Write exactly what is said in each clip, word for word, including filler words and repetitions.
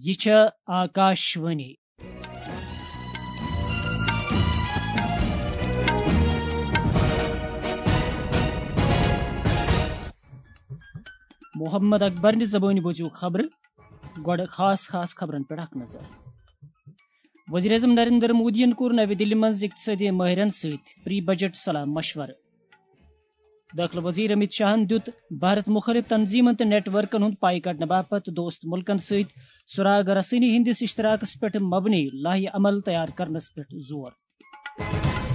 یہِ چھےٚ آکاشوانی۔ محمد اکبر نہِ زبٲنۍ بوٗزِو خبرٕ۔ گۄڈٕ خاص خاص خبرن پٮ۪ٹھ اکھ نظر۔ وزیر اعظم نریندر مودیَن کوٚر نَوِ دِلہِ منٛز اقتصٲدی مٲہرَن سۭتۍ پری بجٹ صلاح مشورٕ۔ دٲخلہٕ وزیر امیت شاہَن دیُت بھارت مُخٲلِف تنظیٖمَن تہٕ نیٹ ورکن ہُنٛد پاے کڑنہٕ باپتھ دوست مُلکَن سۭتۍ سراغ رسٲنی ہٕنٛدِس اشتراکَس پٮ۪ٹھ مبنی لائحہ عمل تیار کرنَس پٮ۪ٹھ زور۔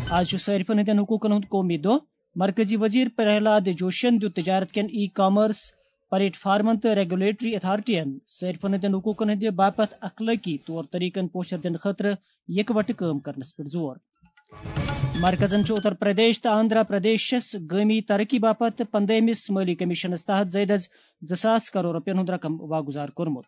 آز چھُ صٲرفَن ہٕنٛدٮ۪ن حقوٗقَن ہُنٛد قومی دۄہ۔ مرکزی وزیر پرہلاد جوشین دیُت تجارت کٮ۪ن ای کامرس پلیٹ فارمن تہٕ ریگولیٹری اتھارٹین صارفن ہٕنٛدٮ۪ن حقوٗقن ہٕنٛدِ باپتھ اخلٲقی طور طریقن پوچھر دِنہٕ خٲطرٕ یکوٹہٕ کٲم کرنس پٮ۪ٹھ زور۔ مرکزن چھُ اتر پردیش تہٕ آندھرا پردیشس گٲمی ترقی باپتھ پندٲہمِس مٲلی کمیشنس تحت زٲیدٕ از زٕ ساس کرور رۄپین ہُنٛد رقم واگُزار کوٚرمُت۔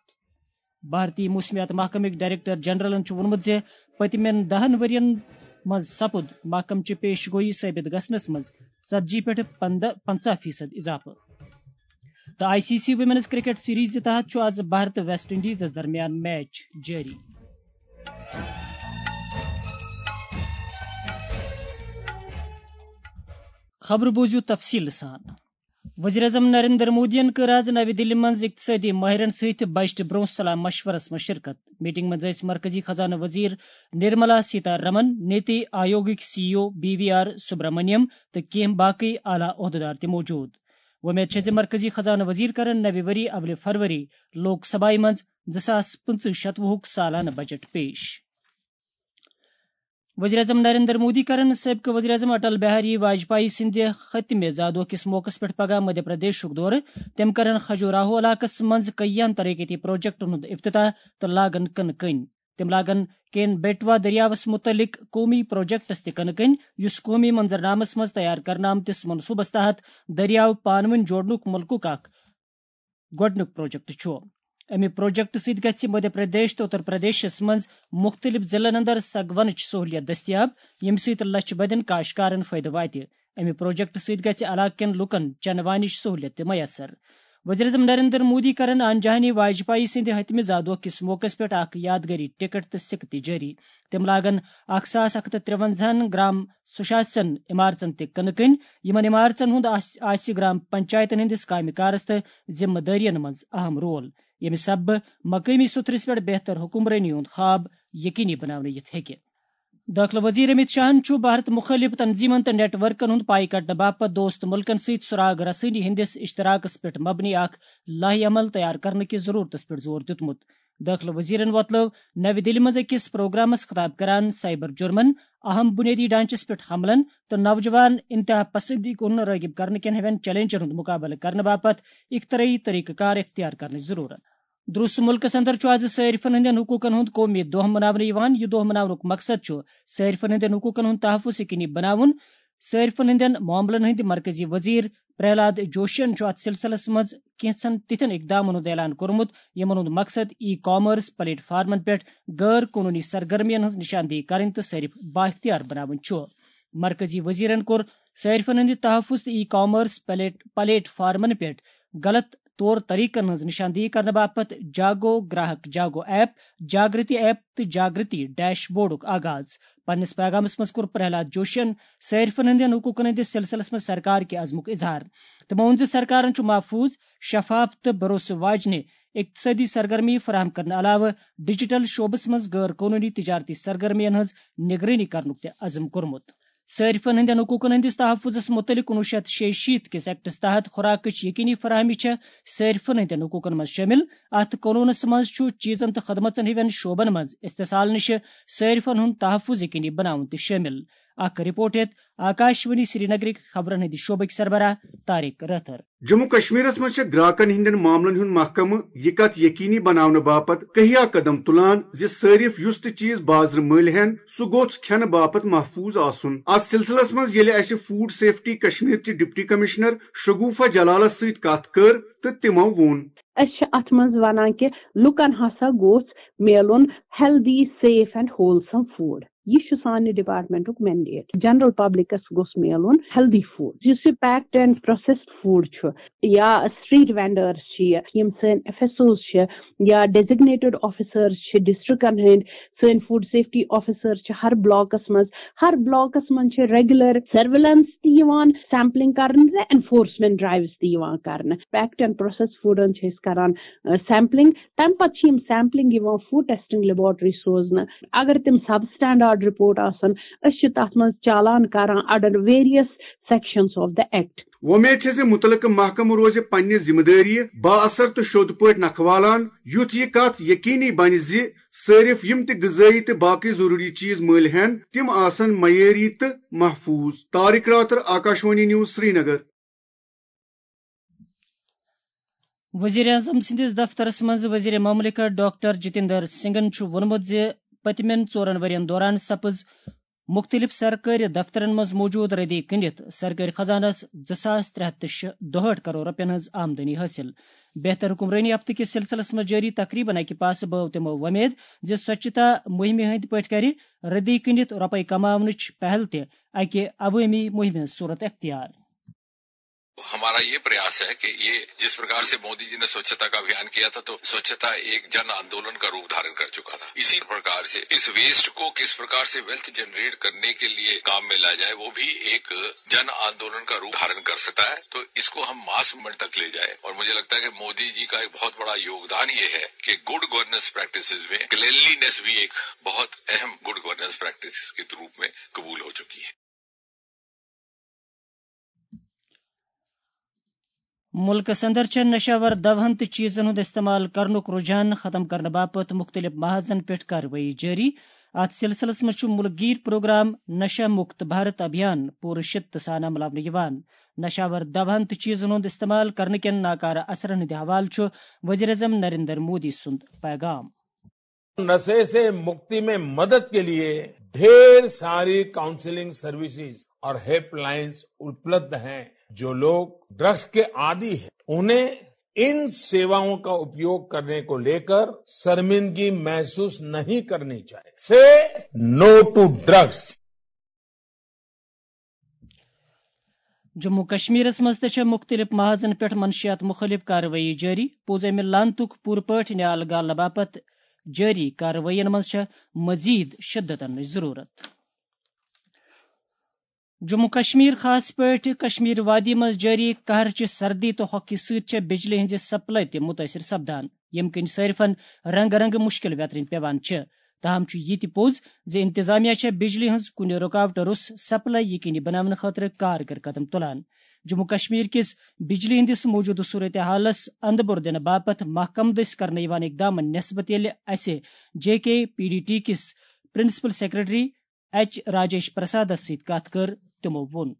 بھارتی موسمیات محکمٕکۍ ڈائریکٹر جنرلن چھُ ووٚنمُت زِ پٔتمٮ۪ن دَہَن ؤرین منٛز سپُد محکمہٕ چہِ پیش گوئی ثٲبت گژھنس منٛز ژتجی پٮ۪ٹھ پنٛداہ، پنٛژاہ فیصد اضافہٕ۔ تہٕ I C C women's cricket series تحت چھُ آز بھارت تہٕ ویسٹ انڈیزس درمیان میچ جٲری۔ خبرٕ بوٗزِو تفصیٖل سان۔ وزیر اعظم نریندر مودیَن کٔر آز نَوِ دِلہِ منٛز اقتصٲدی مٲہرَن سۭتۍ بجٹہٕ برٛونٛہہ صلاح مشورَس منٛز شرکت۔ میٹنگ منٛز ٲسۍ مرکزی خزانہٕ وزیر نرملا سیتا رمن، نیتی آیوگٕکۍ C E O B V R Subrahmanyam تہٕ کینٛہہ باقٕے اعلیٰ عہدٕدار تہِ موجود۔ وۄمید چھےٚ زِ مرکزی خزانہٕ وزیر کرن نَوِ ؤری اولہِ فروری لوک سبھایہِ منٛز زٕ ساس پٕنٛژٕہ شتوُہُک سالانہٕ بجٹ پیش۔ وزیر اعظم نریندر مودی کرن سابقہٕ وزیر اعظم اٹل بہاری واجپایی سٕنٛدِ ختمِ زادوہ کِس موقعس پٮ۪ٹھ پگاہ مدھیہ پردیشُک دورٕ۔ تِم کرن کھجوراہو علاقس منٛز کئیَن ترقیتی پروجیکٹن ہُنٛد افتتاح تہٕ لاگن کٕنہٕ کٔنۍ۔ تِم لاگن کین بیٹوا دٔریاوس مُتعلق قومی پروجیکٹس تہِ کٕنہٕ کٔنۍ، یُس قومی منظرنامس منٛز تیار کرنہٕ آمتِس منصوبس تحت دٔریاو پانہٕ ؤنۍ جوڑنُک مُلکُک اکھ گۄڈٕنیُک پروجیکٹ چھُ۔ اَمہِ پروجیکٹ سۭتۍ گژھِ مدھیہ پردیش تہٕ اتر پردیشس منٛز مُختٔلِف ضلعن اندر سگونٕچ سہوٗلیت دٔستیاب، ییٚمہِ سۭتۍ لچھِ بٔدٮ۪ن کاشتکارن فٲیدٕ واتہِ۔ اَمہِ پروجیکٹ سۭتۍ گژھِ علاقہٕ کٮ۪ن لوٗکن چنہٕ وانِچ سہوٗلیت تہِ میسر۔ وزیر اعظم نریندر مودی کرن انجہانی واجپایی سٕنٛدِ ۂتمہِ زادوہ کِس موقعس پٮ۪ٹھ اکھ یادگٲری ٹکٹ تہٕ سِکہٕ تہِ جٲری۔ تِم لاگن اکھ ساس اکھ ہتھ تہٕ ترٛوَنزاہن گرام سُشاسن عمارژن تہِ کٕنہٕ کٔنۍ۔ یِمن عمارژن ہُنٛد آس-، آسہِ گرام پنچایتن ہٕنٛدِس کامہِ کارس تہٕ ذمہٕ دٲرین منٛز اہم رول، ییٚمہِ سببہٕ مقٲمی سطحس پٮ۪ٹھ بہتر حکمرٲنی ہُنٛد خواب یقینی بناونہٕ یِتھ ہیٚکہِ۔ دٲخلہٕ وزیر امیت شاہن چھُ بھارت مُخٲلِف تنظیمن تہٕ نیٹ ورکن ہُنٛد پاے کڑنہٕ باپتھ دوست مُلکن سۭتۍ سراغ رسٲنی ہٕنٛدِس اشتراکس پٮ۪ٹھ مبنی اکھ لائحہ عمل تیار کرنہٕ کِس ضرورتس پٮ۪ٹھ زور دیُتمُت۔ دٲخلہٕ وزیرن وۄتلٲو نَوِ دِلہِ منٛز أکِس پروگرامس خطاب کران سائبر جرمن، اہم بنیٲدی ڈھانچس پٮ۪ٹھ حملن تہٕ نوجوان انتہا پسندی کُن رٲغب کرنہٕ کٮ۪ن ہِوٮ۪ن چیلنجن ہُنٛد مُقابلہٕ کرنہٕ باپتھ اختراعی طریقہٕ کار اختیار کرنٕچ ضرورت۔ درست مُلکس اندر چھُ آز صٲرفن ہٕنٛدٮ۪ن حقوٗقن ہُنٛد قومی دۄہ مناونہٕ یِوان۔ یہِ دۄہ مناونُک مقصد چھُ صٲرفن ہٕنٛدٮ۪ن حقوٗقن ہُنٛد تحفظ یقینی بناوُن۔ صٲرفن ہٕنٛدٮ۪ن معاملن ہٕنٛدۍ مرکزی وزیر پرہلاد جوشین چھُ اتھ سلسلس منٛز کینٛژن تِتھٮ۪ن اقدامن ہُنٛد اعلان کوٚرمُت، یِمن ہُنٛد مقصد ای کامرس پلیٹ فارمن پٮ۪ٹھ غٲر قونوٗنی سرگرمین ہٕنٛز نشاندہی کرٕنۍ تہٕ صٲرِف بااختیار بناوٕنۍ چھُ۔ مرکزی وزیرن کوٚر صٲرفن ہٕنٛدِ تحفظ تہٕ ای کامرس پلیٹ، پلیٹ فارمن پٮ۪ٹھ غلط طور طریقن ہٕنٛز نشاندہی کرنہٕ باپتھ جاگو گراہک جاگو ایپ، جاگرتی ایپ تہٕ جاگرتی ڈیش بورڈُک آغاز۔ پننِس پیغامس منٛز کوٚر پرہلاد جوشین صٲرفن ہٕنٛدٮ۪ن حقوٗقن ہٕنٛدِس سلسلس منٛز سرکار کہِ عزمُک اظہار۔ تٔمۍ ووٚن زِ سرکارن چھُ محفوٗظ، شفاف تہٕ بھروسہٕ واجنہِ اقتصٲدی سرگرمی فراہم کرنہٕ علاوٕ ڈیجیٹل شعبس منٛز غٲر قونوٗنی تجارتی سرگرمین ہٕنٛز نگرٲنی کرنُک تہِ عزم کوٚرمُت۔ صٲرفن ہٕنٛدٮ۪ن حقوٗقن ہٕنٛدِس تحفظس مُتعلِق کُنوُہ شیٚتھ شیٚیہِ شیٖتھ کِس ایکٹس تحت خوراکٕچ یقینی فراہمی چھےٚ صٲرفن ہٕنٛدٮ۪ن حقوٗقن منٛز شٲمِل۔ اتھ قونوٗنس منٛز چھُ چیٖزن تہٕ خدمژن ہٕوٮ۪ن شعبن منٛز استحصال نِشہِ صٲرفن ہُنٛد تحفظ یقینی بناوُن تہِ شٲمِل۔ اکھ رپورٹ ہیٚتھ آکاشوانی سرینگرٕکۍ خبرن ہٕنٛدِ شعبٕکۍ سربراہ طارق رٲتھر۔ جموں کشمیرس منٛز چھےٚ گراکن ہٕنٛدٮ۪ن معاملن ہُنٛد محکمہٕ یہِ کتھ یقینی بناونہٕ باپتھ کہیا قدم تُلان زِ صٲرِف یُس تہِ چیٖز بازرٕ مٔلۍ ہٮ۪ن، سُہ گوٚژھ کھٮ۪نہٕ باپتھ محفوٗظ آسُن۔ اتھ سلسلس منٛز ییٚلہِ اسہِ فوڈ سیفٹی کشمیر چہِ ڈپٹی کمشنر شگوفہ جلالس سۭتۍ کتھ کٔر تہٕ تِمو ووٚن۔ أسۍ چھِ اتھ منٛز ونان کہِ لُکن ہسا گوٚژھ میلُن healthy, safe and wholesome food۔ یہِ چھُ سانہِ ڈپارٹمنٹُک مینڈیٹ۔ جنرل پبلکس گوٚژھ میلُن ہیلدی فوڈ۔ یُس یہِ پیکڈ اینڈ پروسیسڈ فوڈ چھُ، یا اسٹریٹ وینڈرز چھِ، یِم سٲنۍ ایف ایس اوز چھِ، یا ڈیزگنیٹڈ آفیسرز چھِ ڈسٹرکٹن ہٕنٛدۍ، سٲنۍ فوڈ سیفٹی آفیسرز چھِ ہر بلاکس منٛز۔ ہر بلاکس منٛز چھِ ریگولر سرویلنس تہِ یِوان، سیمپلنگ کرنہٕ تہٕ انفورسمنٹ ڈرائیوز تہِ یِوان کرنہٕ۔ پیکڈ اینڈ پروسیسڈ فوڈن چھِ أسۍ کران سیمپلنگ۔ تمہِ پتہٕ چھِ یِم سیمپلنگ یِوان فوڈ ٹیسٹنگ لیبارٹری سوزنہٕ۔ اگر تِم سب سٹینڈرڈ رپورٹ آسن، أسۍ چھِ تتھ منٛز چالان کران under various sections of the act۔ وۄمید چھِ زِ مُتعلقہٕ محکمہٕ روزِ پننہِ ذمہٕ دٲری با اثر تہٕ شوٚد پٲٹھۍ نکھوالان، یُتھ یہِ کتھ یقینی بنہِ زِ صٲرِف یِم تہِ غذٲیی تہٕ باقٕے ضروٗری چیٖز مٔلۍ ہٮ۪ن، تِم آسن معیٲری تہٕ محفوٗظ۔ طارق راتھر، آکاشوانی نیوز، سرینگر۔ وزیر اعظم سٕنٛدِس دفترس منٛز وزیر مملکت ڈاکٹر جتیندر سنگھن چھُ ووٚنمُت زِ پٔتمٮ۪ن ژورن ؤرین دوران سپٕز مُختٔلِف سرکٲرۍ دفترن منٛز موجود ردی کٕنِتھ سرکٲرۍ خزانس زٕ ساس ترٛےٚ ہتھ تہٕ شیٚے دُہٲٹھ کرور رۄپین ہٕنٛز آمدنی حٲصِل۔ بہتر حکمرٲنی ہفتہٕ کِس سلسلس منٛز جٲری تقریبن اکہِ پاسہٕ بٲو تِمو وۄمید زِ سوچھتا مُہِمہِ ہٕنٛدۍ پٲٹھۍ کرِ ردی کٕنِتھ رۄپے کماونٕچ پہل تہِ اکہِ عوٲمی مُہِمہِ ہٕنٛز صورت اختیار۔ ہمارا یہ پریاس ہے کہ یہ جس پرکار سے مودی جی نے سوچھتا کا ابھیان کیا تھا، تو سوچھتا ایک جن آندولن کا روپ دھارن کر چکا تھا۔ اسی پرکار سے اس ویسٹ کو کس پرکار سے ویلتھ جنریٹ کرنے کے لیے کام میں لایا جائے، وہ بھی ایک جن آندولن کا روپ دھارن کر سکتا ہے۔ تو اس کو ہم ماس موومنٹ تک لے جائیں، اور مجھے لگتا ہے کہ مودی جی کا ایک بہت بڑا یوگدان یہ ہے کہ گڈ گورننس پریکٹسز میں کلینلینس بھی ایک بہت اہم گڈ گورننس پریکٹس کے روپ میں قبول ہو چکی ہے۔ مُلکس اندر چھےٚ نشہٕ آور دوہن تہٕ چیٖزن ہُنٛد استعمال کرنُک رُجحان ختم کرنہٕ باپتھ مُختٔلِف محاذن پٮ۪ٹھ کاروٲیی جٲری۔ اتھ سلسلس منٛز چھُ مُلک گیر پروگرام نشہ مکت بھارت ابھیان پوٗرٕ شدت سان عملاونہٕ یِوان۔ نشہٕ آور دوہن تہٕ چیٖزن ہُنٛد استعمال کرنہٕ کٮ۪ن ناکارٕ اثرن ہٕنٛدِ حوالہٕ چھُ وزیر اعظم نریندر مودی سُنٛد پیغام۔ نشے سے مکتی میں مدد کے لیے ڈھیر ساری کاؤنسلنگ سروسز اور ہیلپ لائنز اپلبدھ ہیں۔ جو لوگ ڈرگز کے عادی ہیں، انہیں ان سیواؤں کا اپیوگ کرنے کو لیکر شرمندگی محسوس نہیں کرنی چاہیے۔ سے نو ٹو ڈرگز۔ جموں کشمیرس منٛز تہِ چھےٚ مُختٔلِف محاذن پٮ۪ٹھ منشیات مُخٲلِف کاروٲیی جٲری۔ پوٗژمہِ لانتُک پوٗرٕ پٲٹھۍ نیال گالنہٕ باپتھ جٲری کاروٲیین منٛز چھےٚ مزید شدت اننٕچ ضروٗرت۔ جموں کشمیر، خاص پٲٹھۍ کشمیر وادی منٛز جٲری قہرٕچہِ سردی تہٕ ہۄکھِ سۭتۍ چھےٚ بجلی ہٕنٛزِ سپلاے تہِ مُتٲثِر سپدان، ییٚمہِ کِنۍ صٲرفن رنگہٕ رنگہٕ مُشکِل ویترٕنۍ پٮ۪وان چھِ۔ تاہم چھُ یہِ تہِ پوٚز زِ انتظامیہ چھےٚ بجلی ہٕنٛز کُنہِ رُکاوٹہٕ روٚس سپلاے یقینی بناونہٕ خٲطرٕ کارگر قدم تُلان۔ جموں کشمیر کِس بجلی ہٕنٛدِس موجودٕ صورتحالس اندٕ بوٚر دِنہٕ باپتھ محکمہٕ دٔسۍ کرنہٕ یِوان اقدامن نسبت ییٚلہِ اسہِ جے کے پی ڈی ٹی کِس پرنسپل سیکرٹری ایچ راجیش پرسادس سۭتۍ کتھ کٔر، تِمو ووٚن۔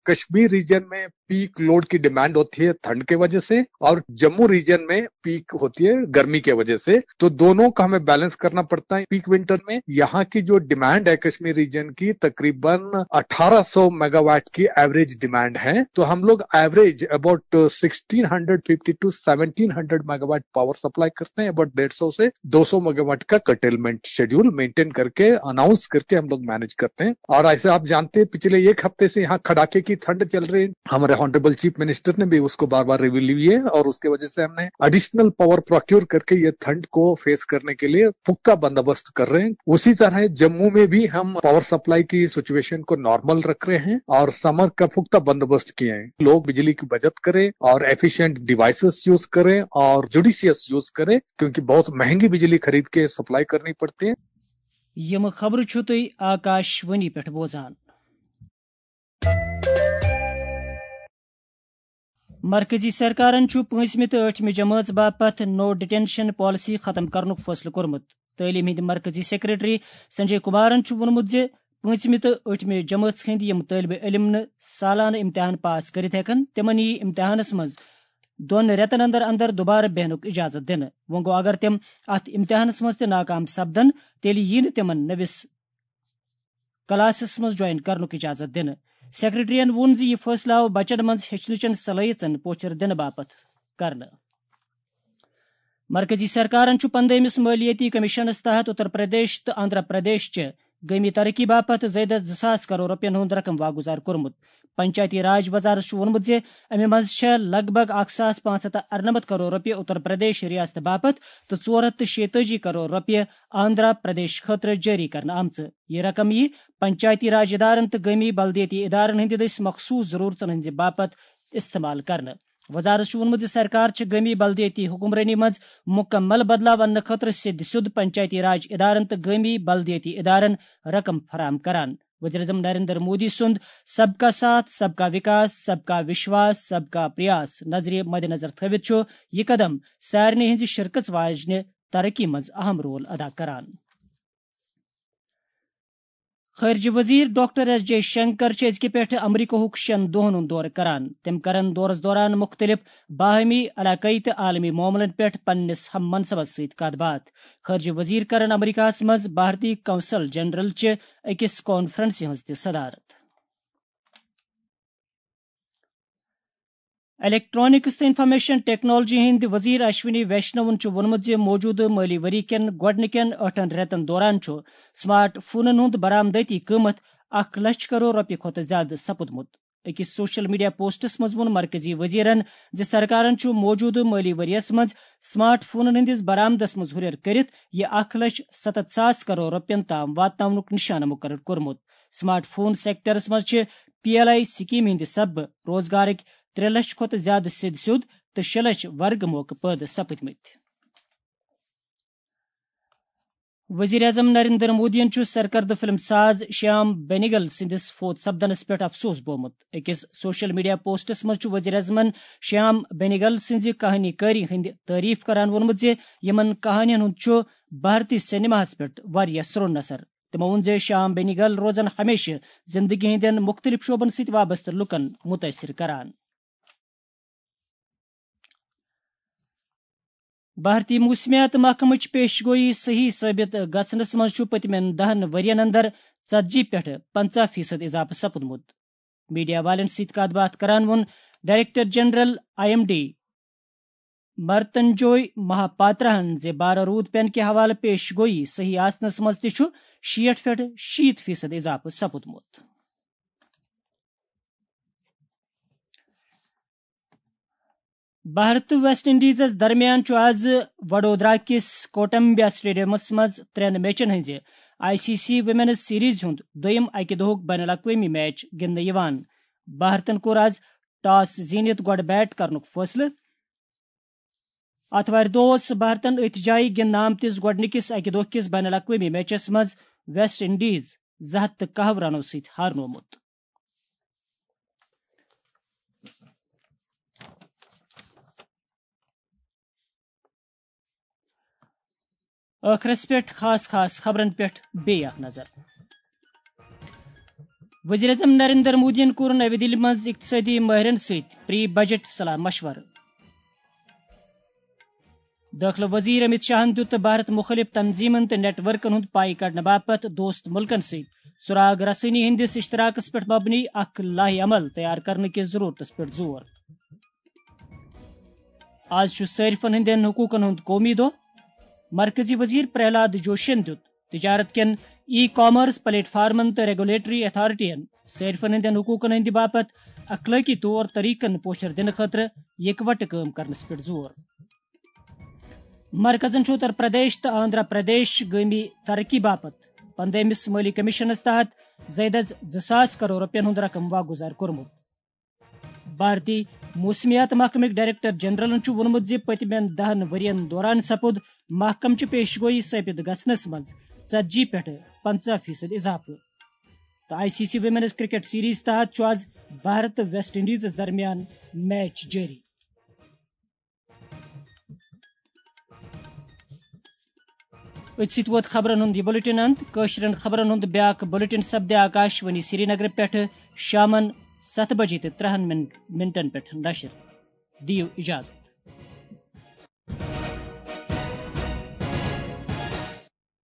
کشمیر ریجن میں پیک لوڈ کی ڈیمانڈ ہوتی ہے ٹھنڈ کے وجہ سے، اور جموں ریجن میں پیک ہوتی ہے گرمی کے وجہ سے، تو دونوں کا ہمیں بیلنس کرنا پڑتا ہے۔ پیک ونٹر میں یہاں کی جو ڈیمانڈ ہے کشمیر ریجن کی، تقریباً اٹھارہ سو میگا واٹ کی ایوریج ڈیمانڈ ہے، تو ہم لوگ average about sixteen hundred fifty two seventeen hundred mega watt power supply کرتے ہیں، اباؤٹ ڈیڑھ سو سے دو سو میگا واٹ کا کرٹیلمنٹ شیڈول مینٹین کرکے، اناؤنس کرکے ہم لوگ مینج کرتے ہیں۔ اور ایسے آپ جانتے ہیں، پچھلے ایک ہفتے سے یہاں کڑاکے کی ٹھنڈ چل رہی ہے، ہمارے آنریبل چیف منسٹر نے بھی اس کو بار بار ریویو لی ہے، اور اس کی وجہ سے ہم نے ایڈیشنل پاور پروکیور کرکے یہ ٹھنڈ کو فیس کرنے کے لیے پختہ بندوبست کر رہے ہیں۔ اسی طرح جموں میں بھی ہم پاور سپلائی کی سچویشن کو نارمل رکھ رہے ہیں اور سمر کا پختہ بندوبست کیے ہیں۔ لوگ بجلی کی بچت کریں اور ایفیشینٹ ڈیوائسز یوز کریں اور جوڈیشیس یوز کریں، کیونکہ بہت مہنگی بجلی خرید کے سپلائی کرنی پڑتی ہے۔ یِم خبرٕ چھِو تُہۍ آکاش وانی پٮ۪ٹھ بوزان۔ مرکزی سرکارن چھُ پٲنٛژمہِ تہٕ ٲٹھمہِ جمٲژ باپتھ نو ڈیٹینشن پالیسی ختم کرنُک فٲصلہٕ کوٚرمُت۔ تعلیٖم ہٕنٛدۍ مرکزی سیکرٹری سنجے کمارن چھُ ووٚنمُت زِ پٲنٛژمہِ تہٕ ٲٹھمہِ جمٲژ ہٕنٛدۍ یِم طٲلبہِ علم نہٕ سالانہٕ امتحان پاس کٔرِتھ ہٮ۪کن، تِمن یِیہِ امتحانس منٛز دۄن رٮ۪تن اندر اندر دوبارٕ بیہنُک اجازت دِنہٕ۔ وۄنۍ گوٚو، اگر تِم اتھ امتحانس منٛز تہِ ناکام سپدن، تیٚلہِ ییہِ نہٕ تِمن نٔوِس کلاسس منٛز جوائن کرنُک اجازت دِنہٕ۔ سیکرٹریَن ووٚن زِ یہِ فٲصلہٕ آو بچن منٛز ہیٚچھنٕچن صلٲحیژن پوچھر دِنہٕ باپتھ کرنہٕ۔ مرکزی سرکارن چھُ پندٲمِس مٲلیٲتی کمیشنس تحت اتر پردیش تہٕ آندھرا پردیش چہِ گٲمی ترقی باپتھ زیادٕ زٕ ساس کرور رۄپین ہُنٛد رقم واگُزار کوٚرمُت۔ پنچایتی راج وزارت چھُ ووٚنمُت زِ امہِ منٛز چھےٚ لگ بگ اکھ ساس پانٛژھ ہتھ تہٕ ارنمتھ کرور رۄپیہِ اتر پردیش ریاست باپتھ تہٕ ژور ہتھ تہٕ شیٚتٲجی کرور رۄپیہِ آندھرا پردیش خٲطرٕ جٲری کرنہٕ آمژٕ۔ یہِ رقم یِیہِ پنچایتی راج ادارن تہٕ گٲمی بلدیٲتی ادارن ہٕنٛدِ دٔسۍ مخصوص ضروٗرژن ہٕنٛزِ باپتھ استعمال کرنہٕ۔ وزارت چھُ ووٚنمُت زِ سرکار چھِ گٲمی بلدیٲتی حکمرٲنی منٛز مکمل بدلاو اننہٕ خٲطرٕ سیٚدِ سیوٚد پنچایتی راج ادارن تہٕ گٲمی بلدیٲتی ادارن رقم فراہم کران۔ وزیر اعظم نریندر مودی سُنٛد سب کا ساتھ، سب کا وکاس، سب کا وشواس، سب کا پریاس نظرِ مدنظر تھٲوِتھ چھُ یہِ قدم سارنٕے ہٕنٛزِ شرکژ واجنہِ ترقی منٛز اہم رول ادا کران۔ خارجہ وزیر ڈاکٹر ایس جے شنکر چھِ أزکہِ پٮ۪ٹھٕ امریکہُک شٮ۪ن دۄہن ہُنٛد دورٕ کران۔ تِم کرن دورس دوران مُختٔلِف باہمی، علاقٲیی تہٕ عالمی معاملن پٮ۪ٹھ پننِس ہم منصبس سۭتۍ کتھ باتھ۔ خارجہ وزیر کرن امریکہس منٛز بھارتی قونصل جنرل چہِ أکِس کانفرنسہِ ہٕنٛز تہِ صدارت۔ الیکٹرانکس تہٕ انفارمیشن ٹیکنالوجی ہٕنٛدۍ وزیر اشونی ویشنوَن چھُ ووٚنمُت زِ موجودٕ مٲلی ؤری کٮ۪ن گۄڈٕنِکٮ۪ن ٲٹھن رٮ۪تن دوران چھُ سمارٹ فونن ہُنٛد برآمدٲتی قۭمتھ اکھ لچھ کرور رۄپیہِ کھۄتہٕ زِیٛادٕ سپُدمُت۔ أکِس سوشل میڈیا پوسٹس منٛز ووٚن مرکزی وزیرن زِ سرکارن چھُ موجودٕ مٲلی ؤریَس منٛز سمارٹ فونن ہٕنٛدِس برآمدس منٛز ہُرٮ۪ر کٔرِتھ یہِ اکھ لچھ ستتھ ساس کرور رۄپین تام واتناونُک نشانہٕ مُقرر کوٚرمُت۔ سمارٹ فون سیکٹرس منٛز چھِ پی ایل آئی سکیمہِ ہٕنٛدِ سببہٕ روزگارٕکۍ ترٛےٚ لچھ کھۄتہٕ زِیٛادٕ سیٚدِ سیوٚد تہٕ شےٚ لچھ ورگہٕ موقعہٕ پٲدٕ سپٕدمٕتۍ۔ وزیر اعظم نریندر مودیَن چھُ سرکردٕ فلم ساز شیام بینیگل سٕنٛدِس فوت سپدنس پٮ۪ٹھ افسوس بومُت۔ أکِس سوشل میڈیا پوسٹس منٛز چھُ وزیر اعظمن شیام بینیگل سٕنٛزِ کہانی کٲری ہٕنٛدِ تعریف کران ووٚنمُت زِ یِمن کہانین ہُنٛد چھُ بھارتی سینماہس پٮ۪ٹھ واریاہ سرٛوٚن اثر۔ تِمو ووٚن زِ شیام بینیگل روزن ہمیشہٕ زندگی ہٕنٛدٮ۪ن مُختٔلِف شعبن سۭتۍ وابستہٕ لُکن مُتٲثِر کران۔ بھارتی موسمیات محکمٕچ پیش گویی صحیح ثٲبت گژھنس منٛز چھُ پٔتمٮ۪ن دَہَن ؤرین اندر ژتجی پٮ۪ٹھ پنژاہ فیصد اضافہٕ سپُدمُت۔ میڈیا والٮ۪ن سۭتۍ کتھ باتھ کران ووٚن director general I M D Mrutyunjay مہاپاتراہن زِ بارہ روٗد پینہٕ کہِ حوالہٕ پیش گویی صحیح آسنس منٛز تہِ چھُ شیٹھ پٮ۪ٹھ شیٖتھ فیصد اضافہٕ سپُدمُت۔ بھارت تہٕ ویسٹ انڈیزس درمیان چھُ آز وڈودرا کِس کوٹمبیا سٹیڈیمس منٛز ترٛٮ۪ن میچن ہٕنٛزِ I C C women's series ہُنٛد دوٚیِم اَکہِ دۄہُک بین الاقوٲمی میچ گِنٛدنہٕ یِوان۔ بھارتن کوٚر آز ٹاس زیٖنِتھ گۄڈٕ بیٹ کرنُک فٲصلہٕ۔ آتھوارِ دۄہ اوس بھارتن أتھۍ جایہِ گِنٛدنہٕ آمتِس گۄڈٕنِکِس اَکہِ دۄہ کِس بین الاقوٲمی میچس منٛز ویسٹ انڈیز زٕ ہتھ تہٕ کاہ رنو سۭتۍ ہارنومُت۔ ٲخرس پٮ۪ٹھ خاص خاص خبرن پٮ۪ٹھ بیٚیہِ اکھ نظر۔ وزیر اعظم نریندر مودیَن کوٚر نَوِ دِلہِ منٛز اقتصٲدی مٲہرن سۭتۍ پری بجٹ صلاح مشورٕ۔ دٲخلہٕ وزیر امت شاہن دیُت بھارت مُخٲلف تنظیمن تہٕ نیٹ ورکن ہُنٛد پاے کڑنہٕ باپتھ دوست مُلکن سۭتۍ سراغ رسٲنی ہٕنٛدِس اشتراکس پٮ۪ٹھ مبنی اکھ لائحہ عمل تیار کرنہٕ کِس ضرورتس پٮ۪ٹھ زور۔ آز چھُ صٲرفن ہٕنٛدٮ۪ن حقوٗقن ہُنٛد قومی دۄہ۔ مرکزی وزیر پرہلاد جوشین دیُت تجارت کٮ۪ن ای کامرس پلیٹ فارمن تہٕ ریگولیٹری اتھارٹین صٲرفن ہٕنٛدٮ۪ن حقوٗقن ہٕنٛدِ باپتھ اخلٲقی طور طریقن پوچھر دِنہٕ خٲطرٕ یکوٹہٕ کٲم کرنس پٮ۪ٹھ زور۔ مرکزن چھُ اتر پردیش تہٕ آندھرا پردیش گٲمی ترقی باپتھ پندٲمِس مٲلی کمیشنس تحت زیادٕ از زٕ ساس کرور رۄپین ہُنٛد رقم واگُزار کوٚرمُت۔ بھارتی موسمیات محکمٕکۍ ڈائریکٹر جنرلن چھُ ووٚنمُت زِ پٔتمٮ۪ن دَہَن ؤرین دوران سپُد محکمہٕ چہِ پیش گویی ثٲبت گژھنس منٛز ژتجی پٮ۪ٹھ پنژاہ فیصد اضافہٕ۔ تہٕ I C C women's cricket series تحت چھُ آز بھارت تہٕ ویسٹ انڈیزس درمیان میچ جٲری۔ أتھۍ سۭتۍ ووت خبرن ہُنٛد یہِ بُلٹن اند۔ کٲشرٮ۪ن خبرن ہُنٛد بیٛاکھ بُلٹن سپدِ آکاش وانی سرینگرٕ پٮ۪ٹھٕ شامن ستھ بجے تہٕ ترٛہن مِن-، مِنٹن پٮ۪ٹھ نشر۔ دِیِو اجازت۔